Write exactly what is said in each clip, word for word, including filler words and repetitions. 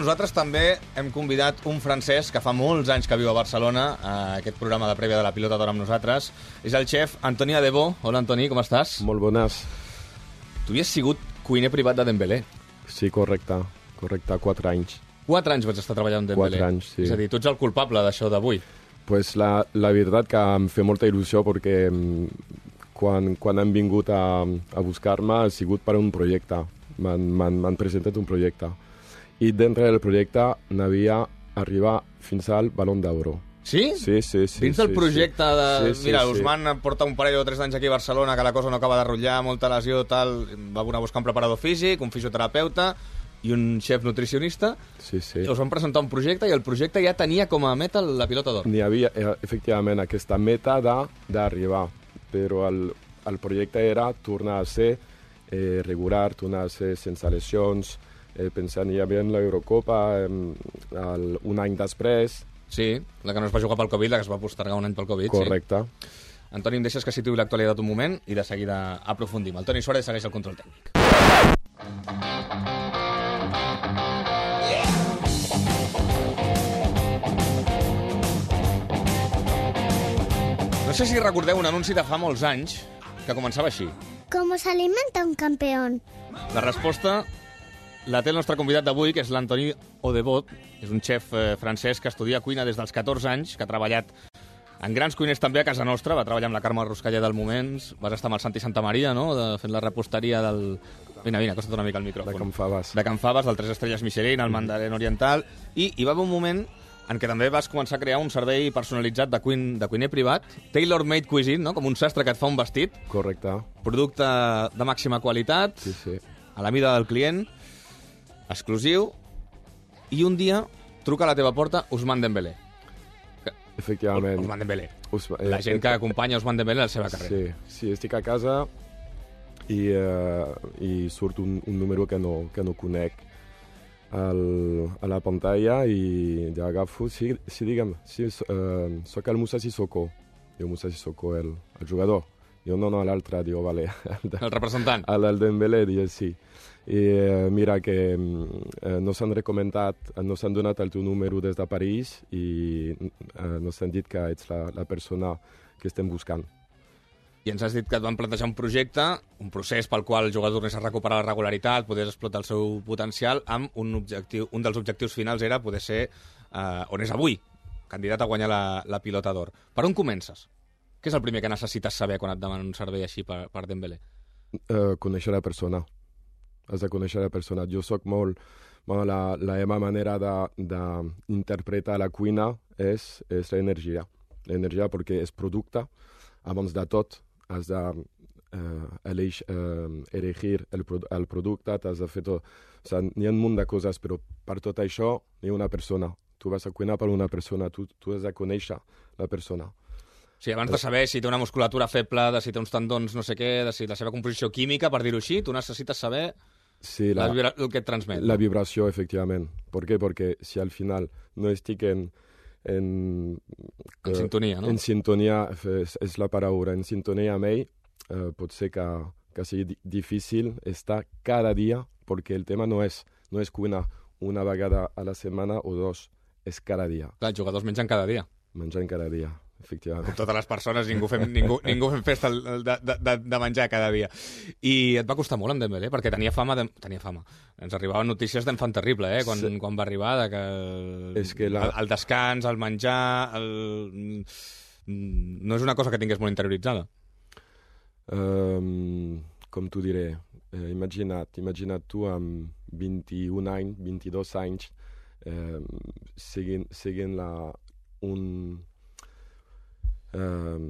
nosaltres també hem convidat un francès que fa molts anys que viu a Barcelona, a aquest programa de prèvia de la Pilota d'Or amb nosaltres. És el xef Antoni Adebo. Hola, Antoni, com estàs? Molt bones. Tu havies sigut cuiner privat de Dembélé. Sí, correcte. Correcte, quatre anys. Quatre anys vaig estar treballant amb Dembélé. Quatre anys, sí. És a dir, tu ets el culpable d'això d'avui. Pues la, la veritat que em fa molta il·lusió perquè quan, quan han vingut a, a buscar-me ha sigut per un projecte. M'han presentat un projecte. I dintre del projecte n'havia arribat fins al Ballon d'Oro. Sí? Sí, sí, sí. Dins del sí, projecte sí. de... Sí, sí, Mira, sí. Ousmane porta un parell o tres anys aquí a Barcelona, que la cosa no acaba de rotllar, molta lesió, tal... Va anar a buscar un preparador físic, un fisioterapeuta i un xef nutricionista. Sí, sí. Us van presentar un projecte i el projecte ja tenia com a meta la Pilota d'Or. N'hi havia, efectivament, aquesta meta d'arribar, però el, el projecte era tornar a ser eh, regular, tornar a ser sense lesions, eh, pensant ja bé en l'Eurocopa eh, el, un any després. Sí, la que no es va jugar pel Covid, la que es va postergar un any pel Covid. Correcte. Sí. Antoni, em deixes que situï l'actualitat un moment i de seguida aprofundim. El Toni Suárez segueix el control tècnic. No sé si recordeu un anunci de fa molts anys que començava així. ¿Cómo se alimenta un campeón? La resposta la té el nostre convidat d'avui, que és l'Antoni Odebot. És un xef eh, francès que estudia cuina des dels catorze anys, que ha treballat en grans cuiners també a casa nostra. Va treballar amb la Carme Ruscalla del Moments, vas estar amb el Santi Santamaria, no?, de, fent la reposteria del... Vine, vine, acosta't una mica al micròfon. De Can Faves. De Can Faves, del Tres Estrelles Michelin, el Mandarin Oriental. I hi va haver un moment en què també vas començar a crear un servei personalitzat de, cuin, de cuiner privat, tailor-made cuisine, no?, com un sastre que et fa un vestit. Correcte. Producte de màxima qualitat, Sí, sí. a la mida del client, exclusiu, i un dia truca a la teva porta Ousmane Dembélé. Efectivament. Ousmane Dembélé. Usma- La eh, gent eh, que acompanya Ousmane Dembélé a la seva carrera. Sí, sí, estic a casa i, uh, i surt un, un número que no, que no conec al, a la pantalla i ja agafo, sí, sí digue'm, sí, uh, soc el Moussa Sissoko. Diu Moussa Sissoko, el, el jugador. Diu, no, no, l'altre, diu, vale. El, El representant. el, el Dembélé, diu, sí. I uh, mira que uh, no s'han recomendat, no s'han donat el teu número des de París i uh, no s'han dit que ets la, la persona que estem buscant. I ens has dit que et van plantejar un projecte, un procés pel qual el jugador tornés a recuperar la regularitat, poder explotar el seu potencial, amb un objectiu, un dels objectius finals era poder ser, eh, on és avui, candidat a guanyar la, la Pilota d'Or. Per on comences? Què és el primer que necessites saber quan et demanen un servei així per, per Dembélé? Uh, conèixer la persona. Has de conèixer la persona. Jo sóc molt... Bueno, la, la meva manera d'interpretar la cuina és, és l'energia. L'energia perquè és producte. Abans de tot, has de uh, eleix, uh, elegir el, pro el producte, t'has de fer tot. O sigui, n'hi ha un munt de coses, però per tot això hi ha una persona. Tu vas a cuinar per una persona, tu, tu has de conèixer la persona. Sí, abans de saber si té una musculatura feble, de si té uns tendons no sé què, de si la seva composició química, per dir-ho així, tu necessites saber Sí, la, la, el que et transmet. la vibració, efectivament. Per què? Perquè si al final no estic en... En, En sintonia, no? En sintonia, és, és la paraula, en sintonia amb ell, eh, pot ser que, que sigui di difícil estar cada dia, perquè el tema no és, no és cuinar una vegada a la setmana o dos, és cada dia, Clar, els jugadors mengen cada dia. menjant cada dia, efectivament. Com totes les persones, ningú fem, ningú, ningú fem festa de, de, de, de menjar cada dia. I et va costar molt amb Dembélé, perquè tenia fama, de, tenia fama. Ens arribaven notícies d'enfant terrible, eh, quan, sí. quan va arribar, de que, És que la... el, el descans, el menjar... El... No és una cosa que tingués molt interioritzada. Um, com t'ho diré, eh, imagina't, imagina't tu amb vint-i-un anys, vint-i-dos anys, eh, seguint, seguint la, un, um,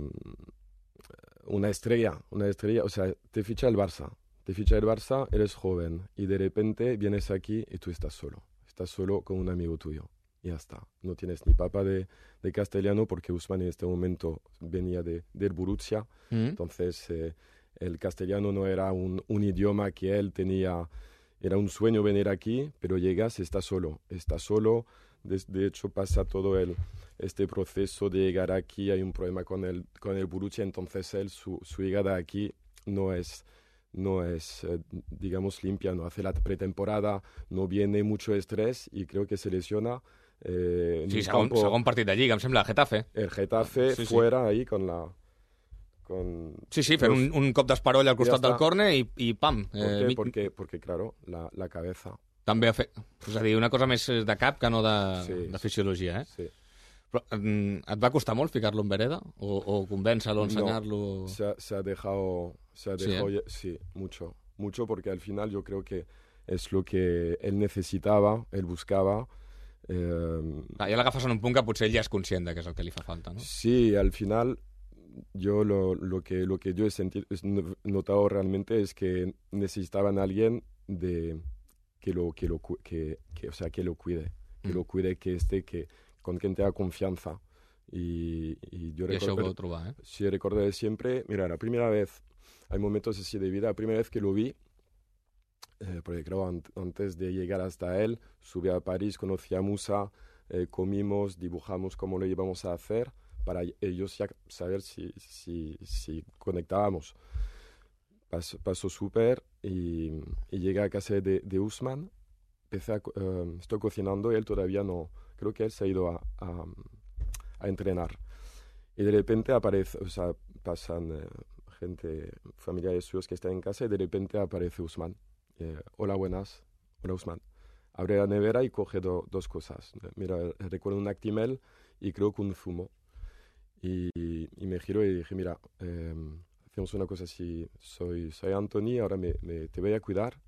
una estrella, una estrella, o sea, te ficha el Barça, te ficha el Barça, eres joven y de repente vienes aquí y tú estás solo, estás solo con un amigo tuyo. Y ya está. No tienes ni papa de, de castellano porque Ousmane en este momento venía de, del Borussia. Mm. Entonces, eh, el castellano no era un, un idioma que él tenía. Era un sueño venir aquí, pero llegas, está solo. Está solo. De, de hecho, pasa todo el, este proceso de llegar aquí. Hay un problema con el, con el Borussia. Entonces, él, su, su llegada aquí no es, no es, eh, digamos, limpia, no hace la pretemporada, no viene mucho estrés y creo que se lesiona. Eh, en Sí, un segon, campo, segon partit de Lliga, em sembla, Getafe. el Getafe Sí, sí. fuera ahí con la... Con Sí, sí, fent los- un, un cop d'esparoll al costat Ja del està. córner i, i pam. ¿Por Eh, qué? mi- Porque, porque, claro, la, la cabeza. També ha fet... És a dir, una cosa més de cap que no de, Sí, de fisiologia, eh? Sí. Però mm, et va costar molt ficar-lo en vereda? O, o convèncer-lo, ensenyar-lo? Se ha, se ha dejado, se ha Sí, dejado ¿eh? lle- sí, mucho, mucho porque al final yo creo que es lo que él necesitaba, él buscaba. eh, Ah, ja l'agafes en un punt que potser ell ja és conscient de què és el que li fa falta, no? Sí, al final yo lo, lo que lo que yo he sentido, es no- notado realmente es que necesitaban a alguien de que lo que lo cu- que, que, o sea, que lo cuide, que Mm. lo cuide, que esté, que con quien tenga confianza. Y, y yo I això ho recuerdo, vau trobar, eh? sí, recuerdo siempre, mira, la primera vez, hay momentos así de vida, la primera vez que lo vi, eh, porque creo an- antes de llegar hasta él, subí a París, conocí a Musa, eh, comimos, dibujamos cómo lo íbamos a hacer para ellos ya saber si, si, si conectábamos. Pasó, pasó súper y, y llegué a casa de, de Usman, empecé a, co- eh, estoy cocinando y él todavía no, creo que él se ha ido a, a, a entrenar. Y de repente aparece, o sea, pasan eh, gente, familiares suyos que están en casa y de repente aparece Usman. Eh, hola, buenas. Hola, Usman. Abre la nevera y coge do- dos cosas. Mira, recuerdo un Actimel y creo que un zumo. Y, y me giro y dije, mira, eh, hacemos una cosa así. Soy, soy Anthony, ahora me, me- te voy a cuidar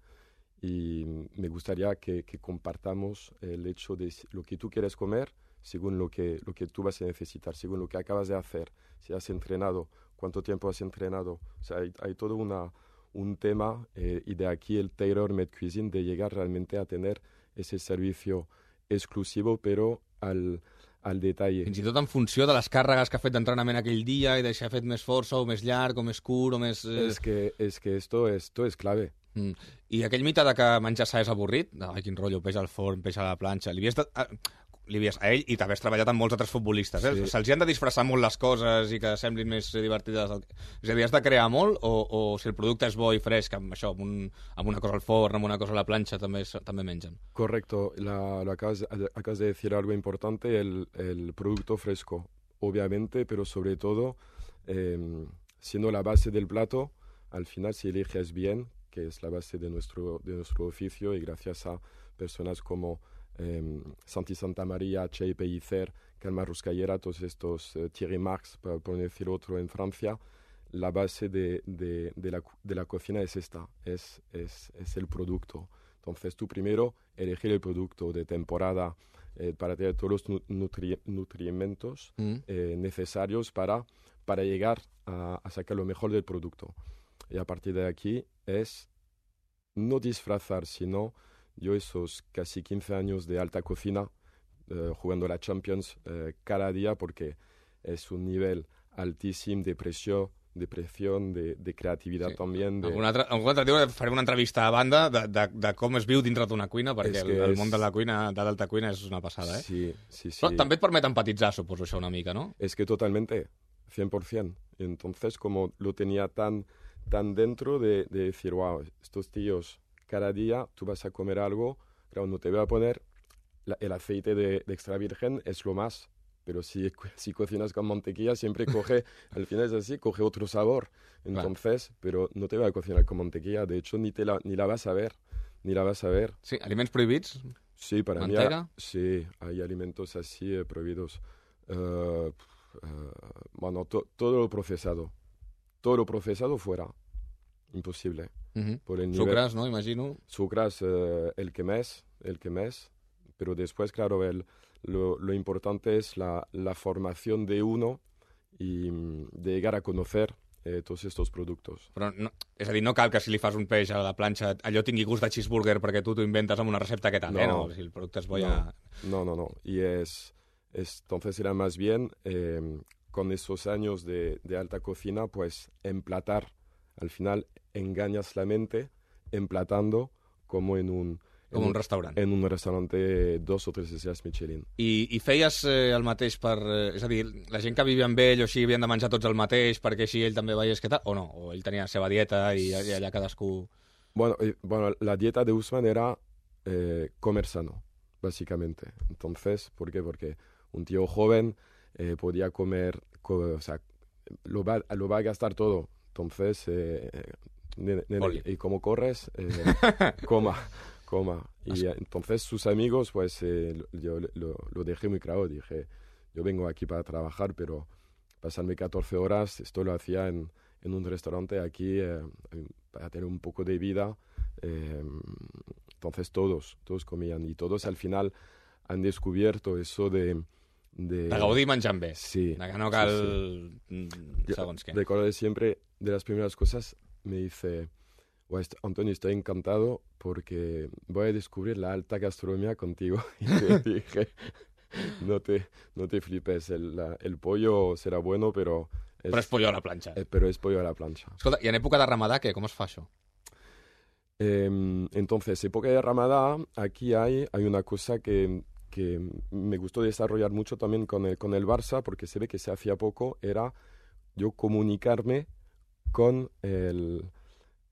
y me gustaría que, que compartamos el hecho de si- lo que tú quieres comer según lo que, lo que tú vas a necesitar, según lo que acabas de hacer, si has entrenado, cuánto tiempo has entrenado. O sea, hay, hay todo una, un tema eh, y de aquí el tailor-made cuisine de llegar realmente a tener ese servicio exclusivo, pero al, al detalle. Fins i tot en funció de les càrregues que ha fet d'entrenament aquell dia i de si ha fet més força o més llarg o més curt o més... Eh... Es que, es que esto, esto es clave. Mm. I aquell mite de que menjar sa és avorrit, de, ai, quin rotllo, peix al forn, peix a la planxa, li havies de... a, li havies, a ell i també has treballat amb molts altres futbolistes, eh? Sí. Se'ls hi han de disfressar molt les coses i que semblin més divertides. del- És a dir, has de crear molt o, o si el producte és bo i fresc, amb això, amb, un, amb una cosa al forn, amb una cosa a la planxa, també, és- també mengen. Correcto, la, lo acabas, acabas de decir algo importante, el, el producto fresco, obviamente, pero sobre todo, eh, siendo la base del plato, al final si eliges bien, que es la base de nuestro, de nuestro oficio y gracias a personas como eh, Santi Santamaría, Che Pellicer, Calma Ruscallera, todos estos, eh, Thierry Marx, por, por decir otro en Francia, la base de, de, de, la, de la cocina es esta, es, es, es el producto. Entonces tú primero elegir el producto de temporada eh, para tener todos los nu- nutri- nutrimentos Mm. eh, necesarios para, para llegar a, a sacar lo mejor del producto. Y a partir de aquí es no disfrazar, sino yo esos casi quince años de alta cocina, eh, jugando la Champions eh, cada día, porque es un nivel altísimo de presión, de presión, de, de creatividad Sí. también. De... Algun altre, algun altre dia farem una entrevista a banda de, de, de com es viu dintre d'una cuina, perquè És el, que el és- món de la cuina, de l'alta cuina, és una passada, eh? Sí, sí, sí. Però també et permet empatitzar, suposo, això una mica, no? Es que totalmente, cien por ciento. Entonces, como lo tenía tan, tan dentro de, de decir, wow, estos tíos, cada día tú vas a comer algo, claro, no te voy a poner la- el aceite de, de extra virgen, es lo más. Pero si, si cocinas con mantequilla, siempre coge, al final es así, coge otro sabor. Entonces, pero no te voy a cocinar con mantequilla, de hecho, ni, te la, ni la vas a ver, ni la vas a ver. Sí, aliments prohibits? Sí, para ¿Mantega? mí, sí, hay alimentos así eh, prohibidos. Eh, eh, bueno, to- todo lo procesado, todo lo procesado fuera, imposible. Uh Por el nivel, Sucres, no? Imagino. Sucras, eh, el que mes, el que mes, pero después, claro, el, lo, lo importante es la, la formación de uno y mm, de llegar a conocer eh, todos estos productos. Però no, és a dir, no cal que si li fas un peix a la planxa allò tingui gust de cheeseburger perquè tu t'ho inventes amb una recepta que tal, eh? No. No, si el producte és bo ja... No, no, no. Y es, es entonces era más bien eh, con esos años de, de alta cocina, pues emplatar. Al final engañas la mente emplatando como en un, Com en un restaurant. En un restaurante dos o tres estrelles Michelin. I, i feies eh, el mateix per... Eh, és a dir, la gent que vivia amb ell o així havien de menjar tots el mateix perquè així ell també veiés què tal, o no? O ell tenia la seva dieta i, i allà cadascú... Bueno, eh, bueno, la dieta de Usman era eh, comer sano, básicamente. Entonces, ¿por qué? Porque un tío joven eh, podía comer, co o sea, lo va, lo va a gastar todo. Entonces, eh, nene, nene, y como corres, eh, coma. Coma. Y eh, entonces sus amigos, pues eh, yo lo, lo dejé muy claro, dije, yo vengo aquí para trabajar, pero pasarme catorce horas, esto lo hacía en, en un restaurante aquí eh, para tener un poco de vida. Eh, entonces todos, todos comían y todos al final han descubierto eso de... De, de gaudir menjant bé. Sí. De que no cal... Sí, sí. Segons què. Recuerdo siempre, de las primeras cosas, me dice... Antonio, estoy encantado porque voy a descubrir la alta gastronomía contigo. Y te dije, no te, no te flipes, el, la, el pollo será bueno, pero... Es, però és pollo a la planxa. Eh, però és pollo a la planxa. Escolta, i en època de Ramadà, què? Com es fa això? Eh, entonces, época de Ramadá, aquí hay, hay una cosa que, que me gustó desarrollar mucho también con el, con el Barça, porque se ve que se hacía poco, era yo comunicarme con el...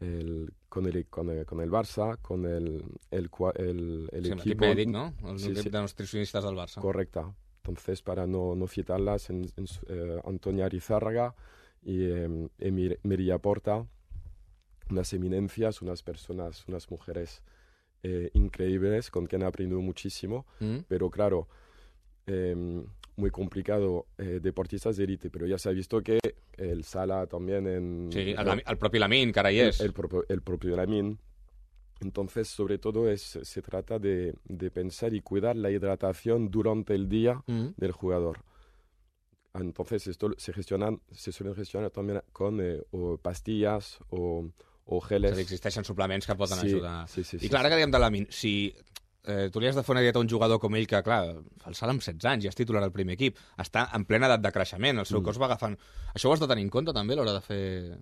El, con, el, con, el, con el Barça, con el, el, el, el sí, equipo... l'equip mèdic, no? El sí, equip sí. de nutricionistes del Barça. Correcta. Entonces, para no, no citarlas, en, en, eh, Antonia Arizárraga y eh, Emir, Mireia Porta, unas eminencias, unas personas, unas mujeres eh, increíbles con quien he aprendido muchísimo, Mm. pero claro, eh, muy complicado, eh, deportistas de élite, pero ya se ha visto que el Sala también en... Sí, el, el, el propi Lamin, que ara hi és. El, el, propio, el propio Lamin. Entonces, sobre todo, es, se trata de, de pensar y cuidar la hidratación durante el día Mm. del jugador. Entonces, esto se gestionan, se suelen gestionar también con eh, o pastillas o, o geles. És a dir, existeixen suplements que poden Sí, ajudar. sí, sí, I sí, clar, ara sí. que diem de Lamin, si eh, tu li has de fer una dieta a un jugador com ell, que clar, el Sala amb setze anys, ja és titular al primer equip, està en plena edat de creixement, el seu Mm. cos va agafant... Això ho has de tenir en compte també a l'hora de fer...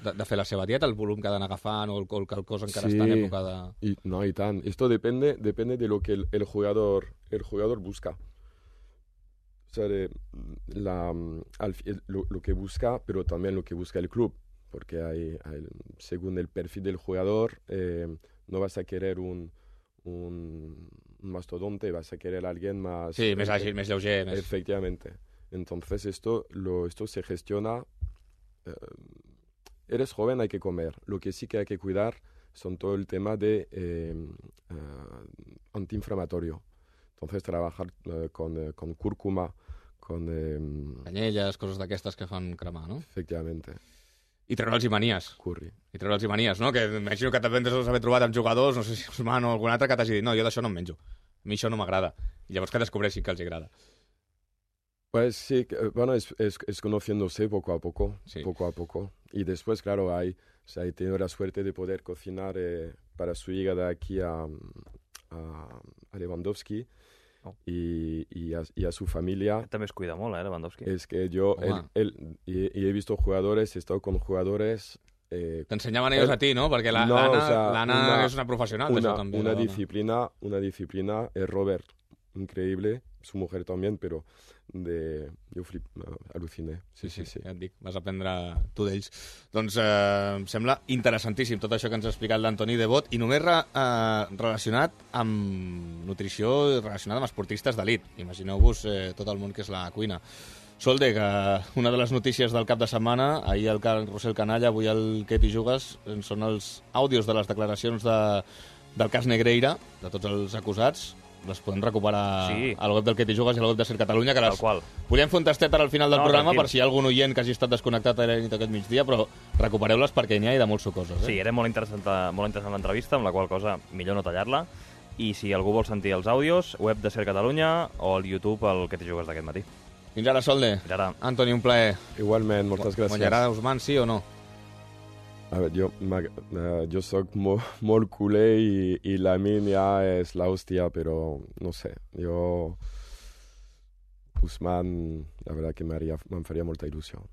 De, de fer la seva dieta, el volum que ha d'anar agafant o el, el que el cos encara Sí. està en època de... Y, no, y tan. Esto depende, depende de lo que el, el jugador, el jugador busca. O sea, de, la, al, fi- lo, lo que busca, pero también lo que busca el club. Porque hay, hay- según el perfil del jugador, eh, no vas a querer un, un, un mastodonte, vas a querer a alguien más... Sí, més àgil, més lleuger, més... Efectivamente. Entonces esto, lo, esto se gestiona... eh, eres joven, hay que comer. Lo que sí que hay que cuidar son todo el tema de eh, eh, antiinflamatorio. Entonces trabajar eh, con, eh, con cúrcuma, con... eh, Canyelles, coses d'aquestes que fan cremar, no? efectivamente, I treure'ls i manies. curry. I treure'ls i manies, no? Que imagino que també deus haver trobat amb jugadors, no sé si Usman o algun altre, que t'hagi dit, no, jo d'això no em menjo. A mi això no m'agrada. I llavors que descobreixin que els agrada. Pues sí, que, eh, bueno, es, es, es conociéndose poco a poco, Sí. poco a poco. Y después, claro, hay, o sea, he tenido la suerte de poder cocinar eh, para su llegada aquí a, a, a Lewandowski Oh. y, y, a, y a su familia. També es cuida molt, eh, Lewandowski. Es que yo, él, Home. él- y, y he visto jugadores, he estado con jugadores... eh, T'ensenyaven ells El- a ti, no? Perquè la- No, l'Anna o sea, l'Anna una- és una professional una, d'això també. una la dona. disciplina, una disciplina, eh, Robert, increíble, su mujer también, pero de, yo flip, uh, aluciné. Sí, sí, sí. Ja et dic, vas aprendre tu d'ells. Doncs eh, em sembla interessantíssim tot això que ens ha explicat l'Antoni Devot i només re, eh, relacionat amb nutrició i relacionat amb esportistes d'elit. Imagineu-vos eh, tot el món que és la cuina. Solde, que una de les notícies del cap de setmana, ahir el Carl Rossell Canalla, avui el Què t'hi jugues, eh, són els àudios de les declaracions de, del cas Negreira, de tots els acusats. Les podem recuperar Sí. al web del Què t'hi jugues i al web de Ser Catalunya, que Tal les qual. volíem fer un tastet ara al final del No, programa tranquil. per si hi ha algun oient que hagi estat desconnectat a la nit aquest migdia, però recupereu-les perquè n'hi ha i de molt sucoses. Eh? Sí, era molt interessant, molt interessant l'entrevista, amb la qual cosa millor no tallar-la. I si algú vol sentir els àudios, web de Ser Catalunya o al YouTube el que t'hi jugues d'aquest matí. Fins ara, Solde. Fins ara. Antoni, un plaer. Igualmente, muchas gracias. Guanyarà Usman, sí o no? A ver, yo, m'ag- eh, yo soy mo- molt culé y, y Lamin ya es la hostia, pero no sé, yo... Usman, la verdad que me, haría, me faría molta ilusión.